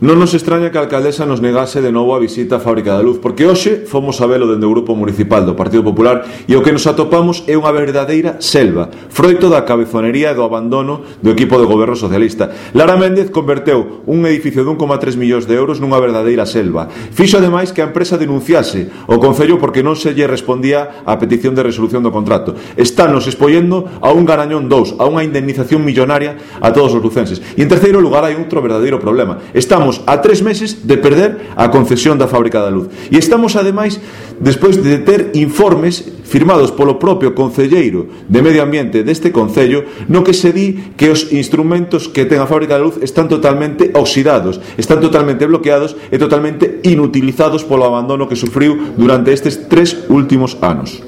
Non nos extraña que a alcaldesa nos negase de novo a visita á Fábrica da Luz, porque hoxe fomos a velo dende o Grupo Municipal do Partido Popular e o que nos atopamos é unha verdadeira selva, froito da cabezonería e do abandono do equipo de goberno socialista. Lara Méndez converteu un edificio de 1,3 millóns de euros nunha verdadeira selva. Fixo ademais que a empresa denunciase o Concello porque non se lle respondía á petición de resolución do contrato. Estános expoñendo a un Garañón 2, a unha indemnización millonaria a todos os lucenses. E en terceiro lugar hai outro verdadeiro problema. Estamos a 3 meses de perder a concesión da Fábrica da Luz. E estamos, ademais, despois de ter informes firmados polo propio concelleiro de Medio Ambiente deste Concello, no que se di que os instrumentos que ten a Fábrica da Luz están totalmente oxidados, están totalmente bloqueados e totalmente inutilizados polo abandono que sufriu durante estes 3 últimos anos.